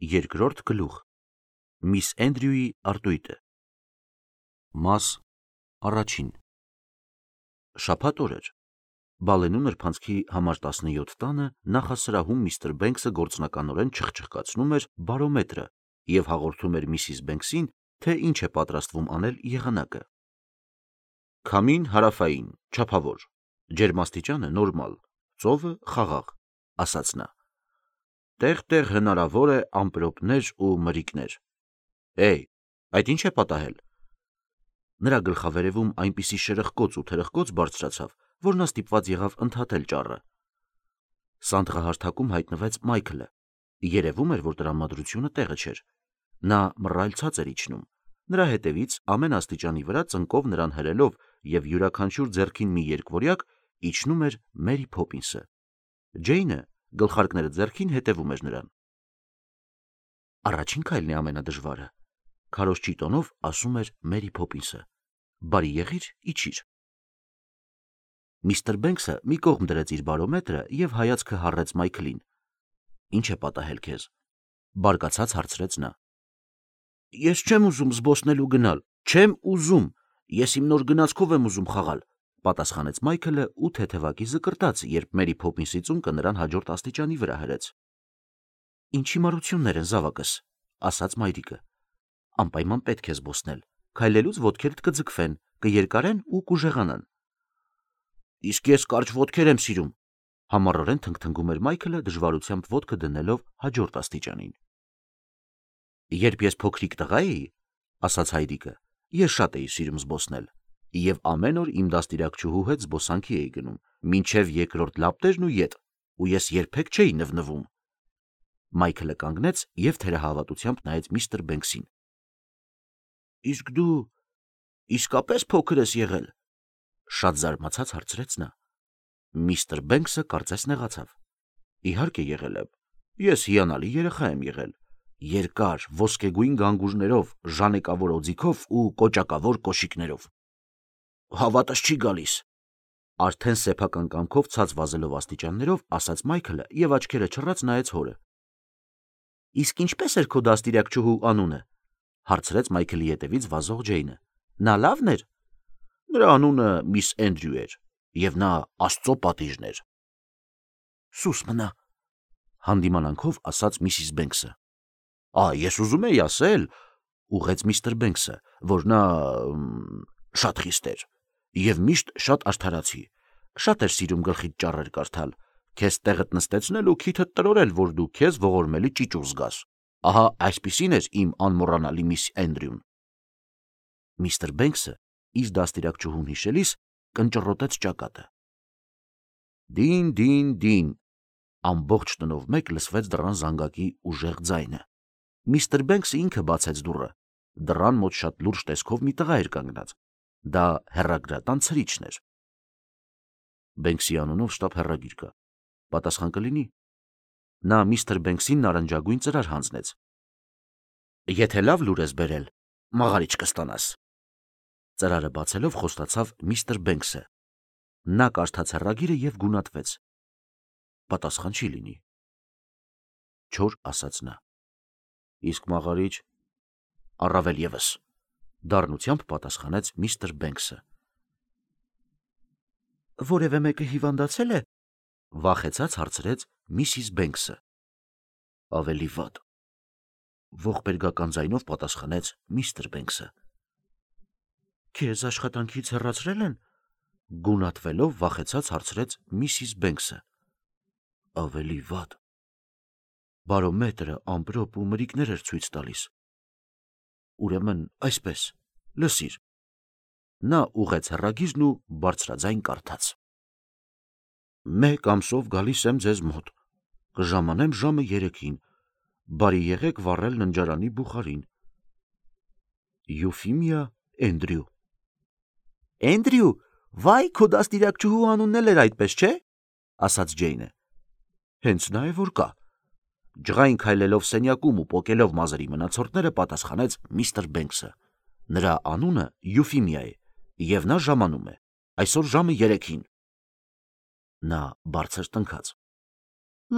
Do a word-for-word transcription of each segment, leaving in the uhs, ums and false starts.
Երկրորդ գլուխ Միս Էնդրյուի արտույտը Մաս առաջին Շաբաթ օր էր։ Բալենու նրբանցքի համար տասնյոթ տանը նախասրահում միստր Բենքսը գործնականորեն չխչխկացնում էր բարոմետրը և հաղորդում էր միսիս Բենքսին, թե ինչ է պատրաստվում անել եղանակը։ Քամին հարավային, չափավոր, ջերմաստիճանը նորմալ, ծովը խաղաղ, ասաց նա։ Տեղ-տեղ հնարավոր է ամպրոպներ ու մրրիկներ։ Էй, այդ ինչ է պատահել։ Նրա գլխավերևում այնպիսի շրխկոց ու թրխկոց բարձրացավ, որ նա ստիպված եղավ ընդհատել ճառը։ Սանդղահարթակում հայտնվեց Մայքլը։ Երևում էր, որ տրամադրությունը տեղը չէր։ Նա մռայլ ցած էր իջնում։ Նրա հետևից ամեն աստիճանի վրա ծնկով նրան հրելով և յուրաքանչյուր ձեռքին մի երկվորյակ իջնում էր Մերի Փոփինսը։ Ջեյնը գլխարկները ձեռքին հետևում էր նրան։ Առաջին քայլն է ամենադժվարը, քարոզչի տոնով ասում էր Մերի Փոփինսը։ Բարի եղիր, իջիր։ Միստր Բենքսը մի կողմ դրեց իր բարոմետրը և հայացքը հառեց Մայքլին։ Ինչ է պատահել քեզ։ Բարկացած հարցրեց նա։ Ես չեմ ուզում զբոսնելու գնալ, չեմ ուզում, ես իմ նոր գնացքով եմ ուզում խաղալ, պատասխանեց Մայքլը ու թեթևակի զկրտաց, երբ Մերի Փոփինսի ծունկը նրան հաջորդ աստիճանի վրա հրեց։ Ինչ հիմարություններ են, զավակս, ասաց մայրիկը։ Անպայման պետք է զբոսնել, քայլելուց ոտքերդ կձգվեն, կերկարեն ու կուժեղանան։ Իսկ ես կարճ ոտքեր եմ սիրում, համառորեն թնգթնգում էր Մայքլը, դժվարությամբ ոտքը դնելով հաջորդ աստիճանին։ Երբ ես փոքրիկ տղա էի, ասաց հայրիկը, ես շատ էի սիրում զբոսնել, և ամեն օր իմ դաստիարակչուհու հետ զբոսանքի էի գնում, մինչև երկրորդ լապտերն ու ետ, ու ես երբեք չէի նվնվում։ Մայքլը կանգնեց և թերահավատությամբ նայեց միստր Բենքսին։ Իսկ դու իսկապես փոքր ես եղել, շատ զարմացած հարցրեց նա։ Միստր Բենքսը կարծես նեղացավ։ Իհարկե եղել եմ, ես հիանալի երեխա եմ եղել, երկար ոսկեգույն գանգուրներով, ժանեկավոր օձիքով ու կոճակավոր կոշիկներով։ Հավատս չի գալիս, արդեն սեփական կամքով ցած վազելով աստիճաններով, ասաց Մայքլը և աչքերը չռած նայեց հորը։ Իսկ ինչպես էր քո դաստիարակչուհու անունը, հարցրեց Մայքլի ետևից վազող Ջեյնը։ Նա լավն էր։ Նրա անունը միս Էնդրյու էր, և նա Աստծո պատիժն էր։ Սուս մնա, հանդիմանանքով ասաց միսիս Բենքսը։ Ա, ես ուզում էի ասել, ուղղեց միստր Բենքսը, որ նա շատ խիստ էր և միշտ շատ արդարացի, շատ էր սիրում գլխիդ ճառեր կարդալ, քեզ տեղդ նստեցնել ու քիթդ տրորել, որ դու քեզ ողորմելի ճիճուղ զգաս։ Ահա այսպիսին էր իմ անմոռանալի միս Էնդրյուն։ Միստր Բենքսը իր դաստիարակչուհուն հիշելիս կնճռոտեց ճակատը։ Դին, դին, դին, ամբողջ տնով մեկ լսվեց դռան զանգակի ուժեղ ձայնը։ Միստր Բենքսը ինքը բացեց դուռը։ Դռան մոտ շատ լուրջ տեսքով մի տղա էր կանգնած։ Դա հեռագրատան ցրիչն էր։ Բենքսի անունով շտապ հեռագիր կա, պատասխան կլինի։ Նա միստր Բենքսին նարնջագույն ծրար հանձնեց։ Եթե լավ լուր ես բերել, մաղարիչ կստանաս։ Ծրարը բացելով խոստացավ միստր Բենքսը։ Նա կարդաց հեռագիրը և գունատվեց։ Պատասխան չի լինի։ Չոր ասաց նա։ Իսկ մաղարիչ առավել ևս, դառնությամբ պատասխանեց միստր Բենքսը։ Որևէ մեկը հիվանդացել է, վախեցած հարցրեց միսիս Բենքսը։ Ավելի վատ, ողբերգական ձայնով պատասխանեց միստր Բենքսը։ Քեզ աշխատանքից հեռացրել են, գունատվելով վախեցած հարցրեց միսիս Բենքսը։ Ավելի վատ, բարոմետրը ամպրոպ ու մրրիկներ էր ցույց տալիս։ Ուրեմն այսպես, լսիր։ Նա ուղղեց հեռագիրն ու բարձրաձայն կարդաց. Մեկ ամսով գալիս եմ ձեզ մոտ, կժամանեմ ժամը երեքին, բարի եղեք վառել ննջարանի բուխարին։ Յուֆիմիա Էնդրյու։ Էնդրյու, վայ, քո դաստիարակչուհու անունն էլ էր այդպես, չէ, ասաց Ջեյնը։ Հենց նա է որ կա։ Ջղային քայլելով սենյակում ու պոկելով մազերի մնացորդները պատասխանեց միստր Բենքսը։ Նրա անունը Յուֆիմիա է, և նա ժամանում է, այսօր ժամը երեքին։ Նա բարձր տնքաց։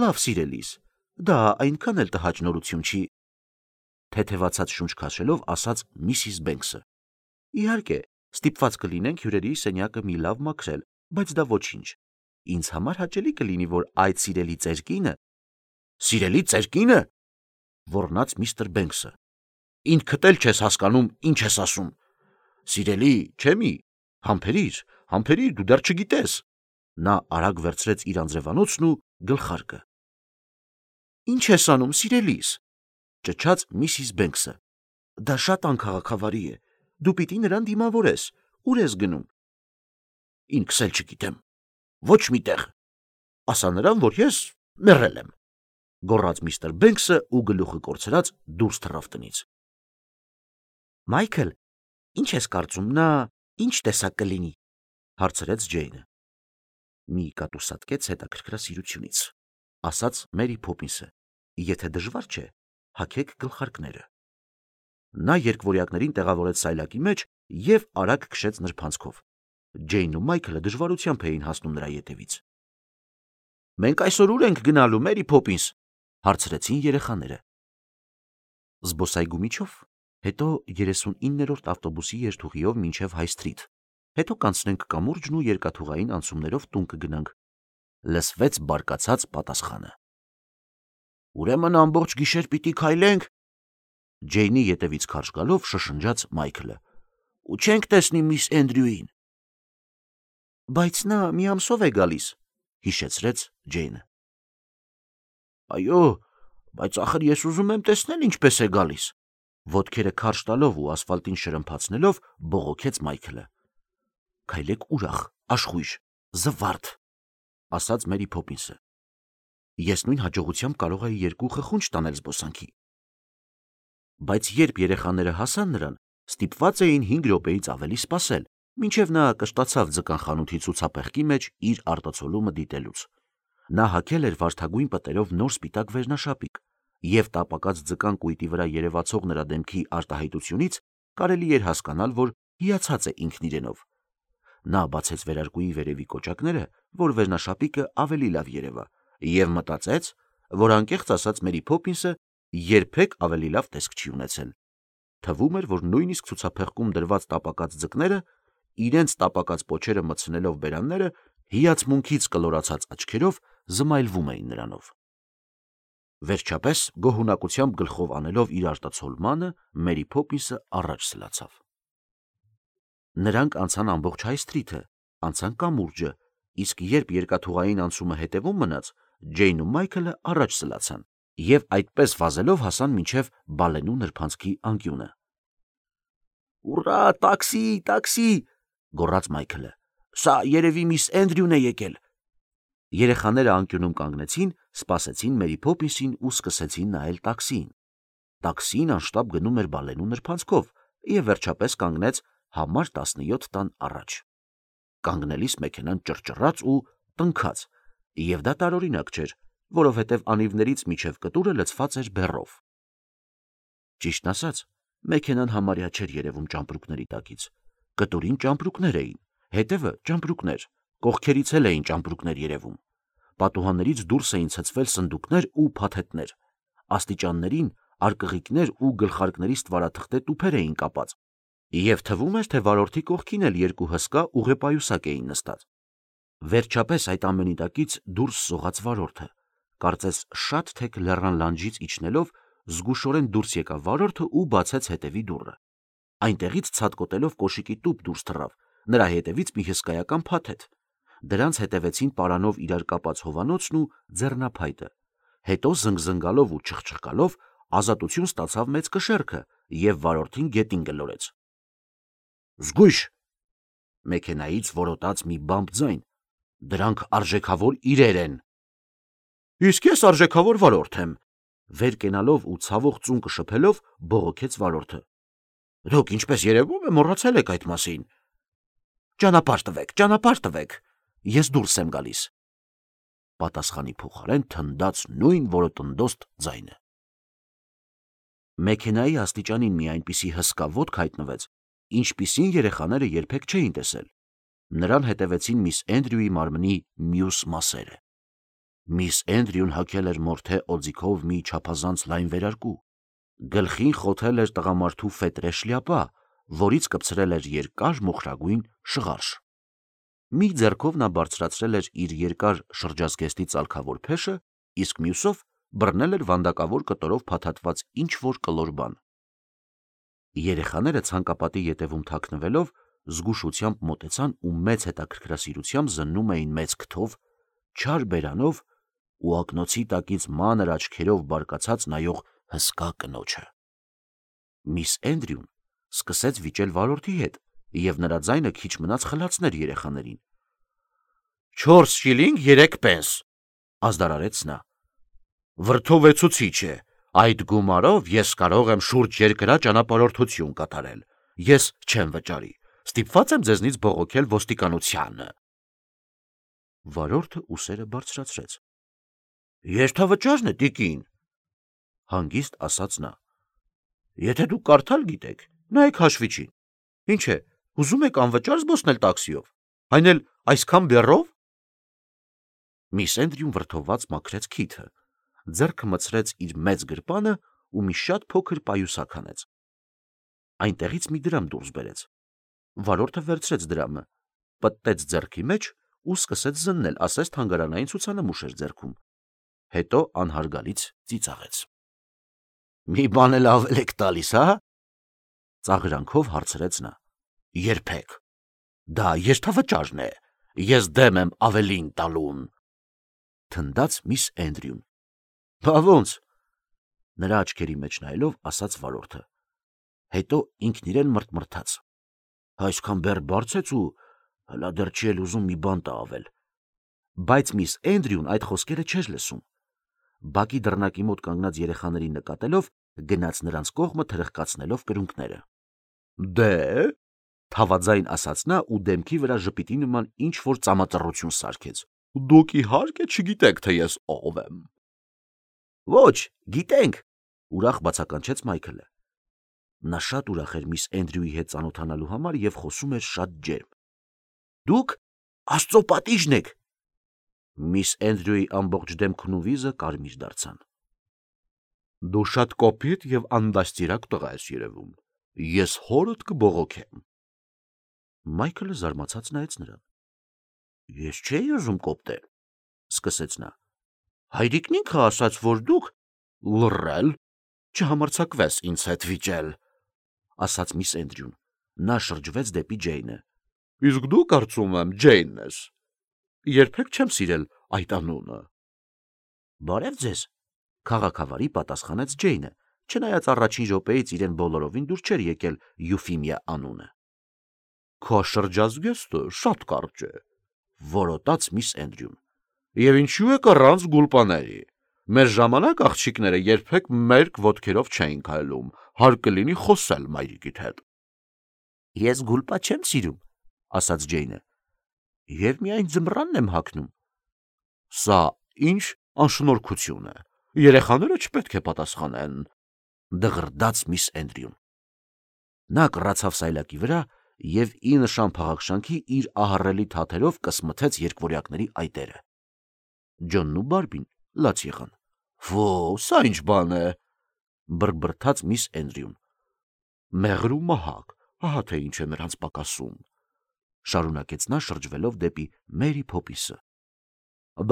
Լավ, սիրելիս, Դա այնքան էլ տհաճ նորություն չի, թեթևացած շունչ քաշելով ասաց միսիս Բենքսը։ Իհարկե, ստիպված կլինենք հյուրերի սենյակը մի լավ մաքրել, բայց դա ոչինչ։ Ինձ համար հաճելի կլինի, որ այդ սիրելի ծեր կինը… Սիրելի ծեր կինը… ոռնաց միստր Բենքսը։ Ինքդ էլ չես հասկանում, ինչ ես ասում։ Սիրելի, չէ՞ մի, համբերիր, համբերիր, դու դեռ չգիտես։ Նա արագ վերցրեց իր անձրևանոցն ու գլխարկը։ Ինչ ես անում, սիրելիս, ճչաց միսիս Բենքսը։ Դա շատ անքաղաքավարի է։ Դու պիտի նրան դիմավորես։ Ուր ես գնում։ Ինքս էլ չգիտեմ։ Ոչ մի տեղ։ Ասա նրան, որ ես մեռել եմ, գոռաց միստր Բենքսը ու գլուխը կորցրած դուրս թռավ տնից։ Մայքլ, ինչ ես կարծում, նա ինչ տեսակ կլինի, հարցրեց Ջեյնը։ Մի կատուսատկեց հետաքրքրասիրությունից, ասաց Մերի Փոփինսը։ Եթե դժվար չէ, հագեք գլխարկները։ Նա երկվորյակներին տեղավորեց սայլակի մեջ և արագ քշեց նրբանցքով։ Ջեյնն ու Մայքլը դժվարությամբ էին հասնում նրա ետևից։ Մենք այսօր ուր ենք գնալու, Մերի Փոփինս, հարցրեցին երեխաները։ Զբոսայգու միջով, հետո երեսունիններորդ ավտոբուսի երթուղիով մինչև Հայ Սթրիթ, հետո կանցնենք կամուրջն ու երկաթուղային անցումներով տուն կգնանք, լսվեց բարկացած պատասխանը։ Ուրեմն ամբողջ գիշեր պիտի քայլենք, Ջեյնի ետևից քարշ գալով շշնջաց Մայքլը։ Ու չենք տեսնի միս Էնդրյուին։ Բայց նա մի ամսով է գալիս, հիշեցրեց Ջեյնը։ Այո, բայց ախր ես ուզում եմ տեսնել ինչպես է գալիս, ոտքերը քարշ տալով ու ասֆալտին շրմփացնելով բողոքեց Մայքլը։ Քայլեք ուրախ, աշխույժ, զվարթ, ասաց Մերի Փոփինսը։ Ես նույն հաջողությամբ կարող էի երկու խխունջ տանել զբոսանքի։ Բայց երբ երեխաները հասան նրան, ստիպված էին հինգ րոպեից ավելի սպասել, մինչև նա կշտացավ ձկան խանութի ցուցափեղկի մեջ իր արտացոլումը դիտելուց։ Նա հագել էր վարդագույն պտերով նոր սպիտակ վերնաշապիկ, և տապակած ձկան կույտի վրա երևացող նրա դեմքի արտահայտությունից կարելի էր հասկանալ, որ հիացած է ինքն իրենով։ Նա բացեց վերարկուի վերևի կոճակները, որ վերնաշապիկը ավելի լավ երևա, և մտածեց, որ անկեղծ ասած Մերի Փոփինսը երբեք ավելի լավ տեսք չի ունեցել։ Թվում էր, որ նույնիսկ ցուցափեղկում դրված տապակած ձկները, իրենց տապակած պոչերը մտցնելով բերանները, հիացմունքից կլորացած աչքերով զմայլվում էին նրանով։ Վերջապես, գոհունակությամբ գլխով անելով իր արտացոլմանը, Մերի Փոփինսը առաջ սլացավ։ Նրանք անցան ամբողջ Հայ Սթրիթը, անցան կամուրջը, իսկ երբ երկաթուղային անցումը հետևում մնաց, Ջեյնն ու Մայքլը առաջ սլացան և այդպես վազելով հասան մինչև Բալենու նրբանցքի անկյունը։ Ուռա, տաքսի, տաքսի, գոռաց Մայքլը։ Սա երևի միս Էնդրյուն է եկել։ Երեխաները անկյունում կանգնեցին, սպասեցին Մերի Փոփինսին ու սկսեցին նայել տաքսիին։ Տաքսին անշտապ գնում էր Բալենու նրբանցքով և վերջապես կանգնեց համար տասնյոթ տան առաջ։ Կանգնելիս մեքենան ճռճռաց ու տնքաց, և դա տարօրինակ չէր, որովհետև անիվներից մինչև կտուրը լցված էր բեռով։ Ճիշտն ասած, մեքենան համարյա չէր երևում ճամպրուկների տակից։ Կտուրին ճամպրուկներ էին, հետևը ճամպրուկներ, կողքերից էլ էին ճամպրուկներ երևում։ Պատուհաններից դուրս էին ցցվել սնդուկներ ու փաթեթներ, աստիճաններին արկղիկներ ու գլխարկների ստվարաթղթե տուփեր էին կապած, և թվում էր, թե վարորդի կողքին էլ երկու հսկա ուղեպայուսակ էին նստած։ Վերջապես այդ ամենի տակից դուրս սողաց վարորդը, կարծես շատ թեք լեռան լանջից իջնելով զգուշորեն դուրս եկավ վարորդը ու բացեց հետևի դուռը։ Այնտեղից ցատկոտելով կոշիկի տուփ դուրս թռավ, նրա հետևից մի հսկայական փաթեթ։ Դրանց հետևեցին պարանով իրար կապած հովանոցն ու ձեռնափայտը։ Հետո զնգզնգալով ու չխչխկալով ազատություն ստացավ մեծ կշեռքը և վարորդին գետին գլորեց։ Զգույշ, մեքենայից որոտաց մի բամբ ձայն։ Դրանք արժեքավոր իրեր են։ Իսկ ես արժեքավոր վարորդ եմ, վեր կենալով ու ցավող ծունկը շփելով բողոքեց վարորդը։ Դուք ինչպես երևում է մոռացել եք այդ մասին։ Ճանապարհ տվեք, ճանապարհ տվեք, ես դուրս եմ գալիս, պատասխանի փոխարեն թնդաց նույն որոտնդոստ ձայնը։ Մեքենայի աստիճանին մի այնպիսի հսկա ոտք հայտնվեց, ինչպիսին երեխաները երբեք չէին տեսել։ Նրան հետևեցին միս Էնդրյուի մարմնի մյուս մասերը։ Միս Էնդրյուն հագել էր մորթե օձիքով մի չափազանց լայն վերարկու, գլխին խոթել էր տղամարդու ֆետրե շլյապա, որից կպցրել էր երկար մոխրագույն շղարշ։ Մի ձեռքով նա բարձրացրել էր իր երկար շրջազգեստի ծալքավոր փեշը, իսկ մյուսով բռնել էր վանդակավոր կտորով փաթաթված ինչ-որ կլոր բան։ Երեխաները ցանկապատի ետևում թաքնվելով զգուշությամբ մոտեցան ու մեծ հետաքրքրասիրությամբ զննում էին մեծ քթով, չար բերանով ու ակնոցի տակից մանր աչքերով բարկացած նայող հսկա կնոջը։ Միս Էնդրյուն սկսեց վիճել վարորդի հետ, և նրա ձայնը քիչ մնաց խլացներ երեխաներին։ «Չորս շիլինգ երեք պենս», ազդարարեց նա։ «Վրդովեցուցիչ է, այդ գումարով ես կարող եմ շուրջ երկրա ճանապարհորդություն կատարել, ես չեմ վճարի, ստիպված եմ ձեզնից բողոքել ոստիկանությանը»։ Վարորդը ուսերը բարձրացրեց։ «Երթավճարն է, տիկին», հանգիստ ասաց նա։ «Եթե դուք կարդալ գիտեք, նայեք հաշվիչին։ Ինչ է, ուզում եք անվճար զբոսնել տաքսիով, այն էլ այսքան բեռով»։ Միս Էնդրյուն վրդովված մաքրեց քիթը, ձեռքը մտցրեց իր մեծ գրպանը ու մի շատ փոքր պայուսակ հանեց։ Այնտեղից մի դրամ դուրս բերեց։ Վարորդը վերցրեց դրամը, պտտեց ձեռքի մեջ ու սկսեց զննել, ասես թանգարանային ցուցանմուշ էր ձեռքում։ Հետո անհարգալից ծիծաղեց։ «Մի բան էլ ավել եք տալիս, հա»։ Ծաղրանքով հարցրեց նա։ «Երբեք։ Դա երթավճարն է, ես դեմ եմ ավելին տալուն», թնդաց միս Էնդրյուն։ «Բա ոնց», նրա աչքերի մեջ նայելով ասաց վարորդը։ Հետո ինքն իրեն մռթմռթաց։ «Այսքան բեռ բարձեց ու հլա դեռ չի էլ ուզում մի բան տա ավել»։ Բայց միս Էնդրյուն այդ խոսքերը չէր լսում։ Բակի դռնակի մոտ կանգնած երեխաներին նկատելով գնաց նրանց կողմը թրխկացնելով կրունկները։ «Դե՞», թավաձայն ասաց նա ու դեմքի վրա ժպիտի նման ինչ-որ ծամածռություն սարքեց։ «Դուք իհարկե չգիտեք, թե ես ով եմ»։ «Ոչ, գիտենք», ուրախ բացականչեց Մայքլը։ Նա շատ ուրախ էր միս Էնդրյուի հետ ծանոթանալու համար և խոսում էր շատ ջերմ։ «Դուք Աստծո պատիժն եք»։ Միս Էնդրյուի ամբողջ դեմքն ու վիզը կարմիր դարձան։ «Դու շատ կոպիտ և անդաստիարակ տղա ես երևում, ես հորդ կբողոքեմ»։ Մայքլը զարմացած նայեց նրան։ «Ես չէի ուզում կոպտել», սկսեց նա։ «Հայրիկն ինքը ասաց, որ դուք լռել, չհամարձակվես ինձ հետ վիճել», ասաց միս Էնդրյուն։ Նա շրջվեց դեպի Ջեյնը։ «Իսկ դու կարծում եմ Ջեյնն ես։ Երբեք չեմ սիրել այդ անունը»։ «Բարև ձեզ», քաղաքավարի պատասխանեց Ջեյնը, չնայած առաջին րոպեից իրեն բոլորովին դուր չէր եկել Յուֆիմիա անունը։ «Քո շրջազգեստը շատ կարճ է», որոտաց միս Էնդրյուն։ «Եվ ինչու եք առանց գուլպաների։ Մեր ժամանակ աղջիկները երբեք մերկ ոտքերով չէին քայլում, հարկ կլինի խոսել մայրիկիդ հետ»։ «Ես գուլպա չեմ սիրում», ասաց Ջեյնը, «և միայն ձմռանն եմ հագնում»։ «Սա ինչ անշնորհքություն է, երեխաները չպետք է պատասխանեն», դղրդաց միս Էնդրյուն։ Նա կռացավ սայլակի վրա և ի նշան փաղաքշանքի իր ահռելի թաթերով կսմթեց երկվորյակների այտերը։ Ջոնն ու Բարբին լաց եղան։ «Ֆո, սա ինչ բան է», բրբրթաց միս Էնդրյուն։ «Մեղր ու մահակ, ահա թե ինչ է նրանց պակասում», շարունակեց նա շրջվելով դեպի Մերի Փոփիսը։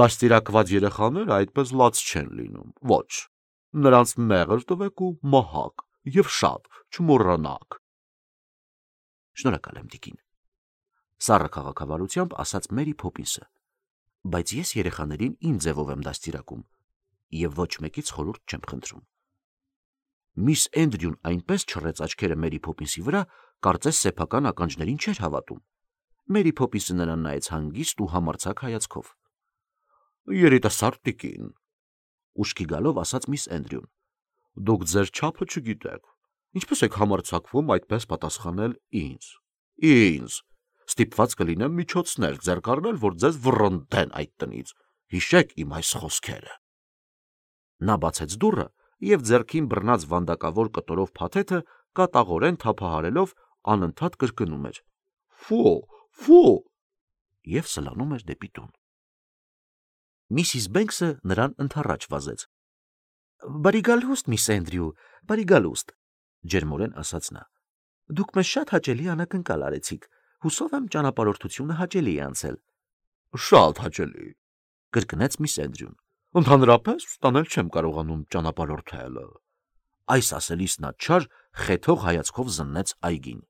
«Դաստիարակված երեխաները այդպես լաց չեն լինում, ոչ, նրանց մեղր տվեք ու մահակ, և շատ չմոռանաք»։ «Շնորհակալ եմ, տիկին», սառը քաղաքավարությամբ ասաց Մերի Փոփինսը, «բայց ես երեխաներին իմ ձևով եմ դաստիարակում և ոչ մեկից խորհուրդ չեմ խնդրում»։ Միս Էնդրյուն այնպես չռեց աչքերը Մերի Փոփինսի վրա, կարծես սեփական ականջներին չէր հավատում։ Մերի Փոփինսը նրան նայեց հանգիստ ու համարձակ հայացքով։ «Երիտասարդ տիկին», ուշքի գալով ասաց միս Էնդրյուն, «դուք ձեր չափը չգիտեք, ինչպես եք համարձակվում այդպես պատասխանել ինձ։ Ինձ, ստիպված կլինեմ միջոցներ ձեռք առնել, որ ձեզ վռնդեն այդ տնից, հիշեք իմ այս խոսքերը»։ Նա բացեց դուռը և ձեռքին բռնած վանդակավոր կտորով փաթեթը կատաղորեն թափահարելով անընդհատ կրկնում էր. «Ֆո, ֆո» և սլանում էր դեպի տուն։ Միսիս Բենքսը նրան ընդառաջ վազեց։ Բարի գալուստ, միս Էնդրյու, բարի գալուստ, ջերմորեն ասաց նա։ Դուք մեզ շատ հաճելի անակնկալ արեցիք, հուսով եմ ճանապարհորդությունը հաճելի է անցել։ Շատ հաճելի, կրկնեց միս Էնդրյուն։ Ընդհանրապես ստանել չեմ կարողանում ճանապարհորդելը։ Այս ասելիս նա չար, խեթող հայացքով զննեց այգին։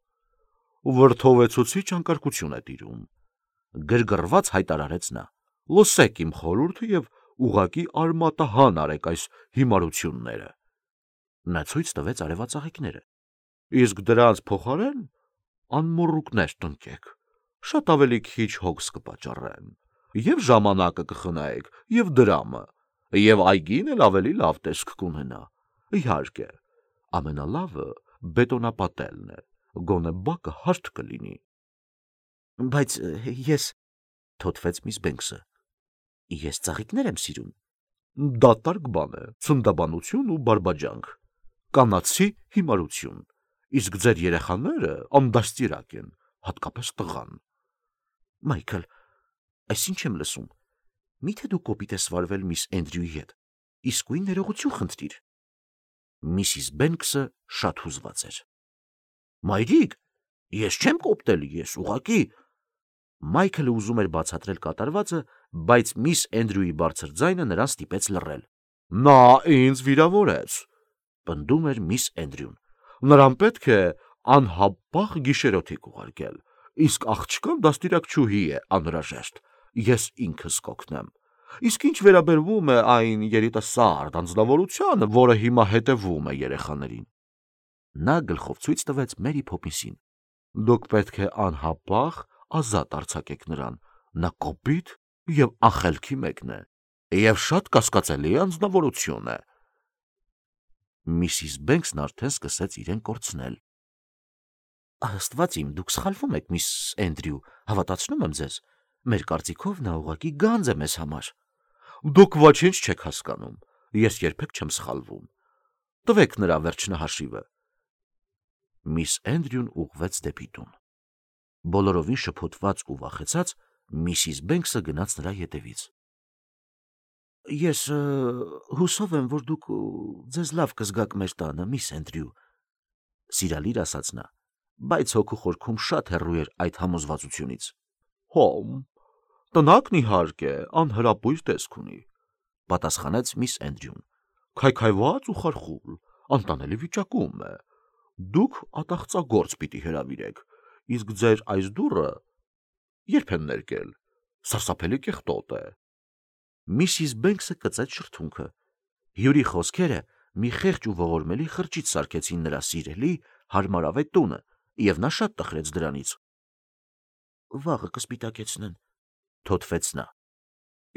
Վրդովեցուցիչ անկարգություն է տիրում, գրգռված հայտարարեց նա։ Լսեք իմ խորհուրդը եւ ուղակի արմատահան արեք այս հիմարությունները։ Նա ցույց տվեց արևածաղիկները։ Իսկ դրանց փոխարեն անմոռուկներ տնկեք, շատ ավելի քիչ հոգս կպատճառեն, եւ ժամանակը կխնայեք, եւ դրամը, եւ այգին էլ ավելի լավ տեսք կունենա։ Իհարկե, ամենալավը բետոնապատելն է, գոնե բակը հարթ կլինի։ Բայց ես, թոթվեց միս Բենքսը, ես ծաղիկներ եմ սիրում։ Դատարկ բան է, ցնդաբանություն ու բարբաջանք, կանացի հիմարություն, իսկ ձեր երեխաները անդաստիրակ են, հատկապես տղան։ Մայքլ, այս ինչ եմ լսում, միթե դու կոպիտ ես վարվել միս Էնդրյուի հետ, իսկույն ներողություն խնդրիր։ Միսիս Բենքսը շատ հուզված էր։ Մայրիկ, ես չեմ կոպտել, ես ուղակի։ Մայքլը ուզում էր բացատրել կատարվածը, բայց միս Էնդրյուի բարձր ձայնը նրան ստիպեց լռել։ Նա ինձ վիրավորեց, պնդում էր միս Էնդրյուն։ Նրան պետք է անհապաղ գիշերօթիկ ուղարկել, իսկ աղջկան դաստիարակչուհի է անհրաժեշտ, ես ինքս կօգնեմ։ Իսկ ինչ վերաբերվում է այն երիտասարդ անձնավորությանը, որը հիմա հետևում է երեխաներին։ Նա գլխով ցույց տվեց Մերի Փոփինսին։ Դուք պետք է անհապաղ ազատ արձակեք նրան, նա կոպիտ եւ անխելքի մեկն է, եւ շատ կասկածելի անձնավորություն է։ Միսիս Բենքսն արդեն սկսեց իրեն կորցնել։ Աստված իմ, դուք սխալվում եք, միս Էնդրյու, հավատացնում եմ ձեզ, մեր կարծիքով նա ուղղակի գանձ է մեզ համար։ Դուք ոչինչ չեք հասկանում, ես երբեք չեմ սխալվում։ Տվեք նրա վերջնահաշիվը։ Միս Էնդրյուն ուղղվեց դեպի տուն։ Բոլորովին շփոթված ու վախեցած Միսիս Բենքսը գնաց նրա ետևից։ Ես հուսով եմ, որ դուք ձեզ լավ կզգաք մեր տանը, միս Էնդրյու, սիրալիր ասաց նա, բայց հոգու խորքում շատ հեռու էր այդ համոզվածությունից։ Հոմ, տնակն իհարկե անհրապույր տեսք ունի, պատասխանեց միս Էնդրյուն, քայքայված ու խարխուլ, անտանելի վիճակում է։ Դուք ատաղծագործ պիտի հրավիրեք, իսկ ձեր այս դուռը երբ են ներկել, սարսափելի կեղտոտ է։ Միսիս Բենքսը կծեց շրթունքը։ Հյուրի խոսքերը մի խեղճ ու ողորմելի խրճիթ սարքեցին նրա սիրելի, հարմարավետ տունը, եւ նա շատ տխրեց դրանից։ Վաղը կսպիտակեցնեն, թոթվեց նա։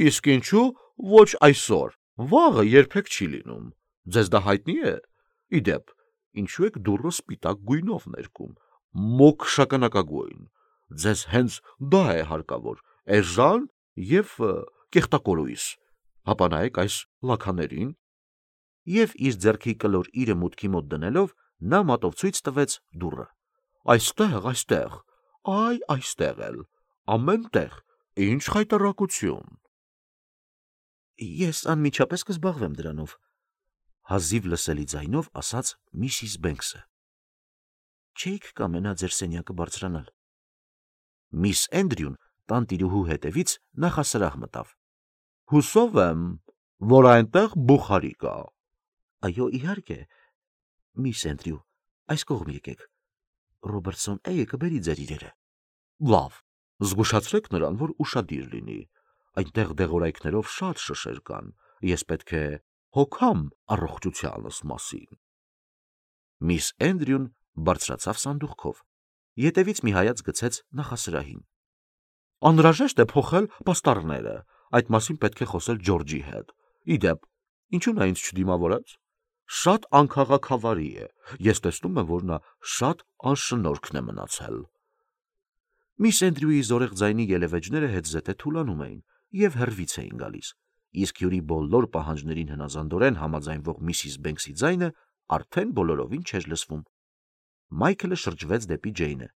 Իսկ ինչու ոչ այսօր, վաղը երբեք չի լինում, ձեզ դա հայտնի է։ Իդեպ, ինչու եք դուռը սպիտակ գույնով ներկում, մոկ շագանակագույն, ձեզ հենց դա է հարկավոր, էժան եւ կեղտակորույս, հապա նայեք այս լաքաներին։ Եվ իր ձեռքի կլոր իրը մուտքի մոտ դնելով, նա մատով ցույց տվեց դուռը։ Այստեղ, այստեղ, այ այստեղ էլ, ամեն տեղ, ինչ խայտառակություն։ Ես անմիջապես կզբաղվեմ դրանով, հազիվ լսելի ձայնով ասաց Միսիս Բենքսը։ Չէիք կամենա ձեր սենյակը բարձրանալ։ Միս Էնդրյուն տանտիրուհու հետևից նախասրահ մտավ։ Հուսով եմ, որ այնտեղ բուխարի կա։ Այո, իհարկե, միս Էնդրյու, այս կողմ եկեք։ Ռոբերտսոն Էյը կբերի ձեր իրերը։ Լավ, զգուշացրեք նրան, որ ուշադիր լինի։ Այնտեղ դեղորայքներով շատ շշեր կան, ես պետք է հոգամ առողջությանս մասին։ Միս Էնդրյուն բարձրացավ սանդուղքով, ետևից մի հայաց գցեց նախասրահին։ Անհրաժեշտ է փոխել պաստառները, այդ մասին պետք է խոսել Ջորջի հետ։ Իդեպ, ինչու նա ինձ չդիմավորեց։ Շատ անքաղաքավարի է, ես տեսնում եմ, որ նա շատ անշնորհքն է մնացել։ Միս Էնդրյուի զորեղ ձայնի ելևէջները հետզհետե թուլանում էին եւ հեռվից էին գալիս, իսկ հյուրի բոլոր պահանջներին հնազանդորեն համաձայնվող Միսիս Բենքսի ձայնը արդեն բոլորովին չէր լսվում։ Մայքլը շրջվեց դեպի Ջեյնը։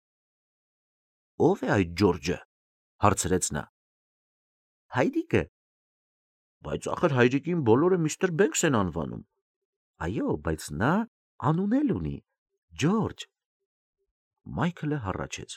Ո՞վ է այդ Ջորջը, հարցրեց նա։ Հայրիկը, Բայց ախր հայրիկին բոլորը միստր Բենքս են անվանում։ Այո, բայց նա անուն էլ ունի՝ Ջորջ։ Մայքլը հառաչեց։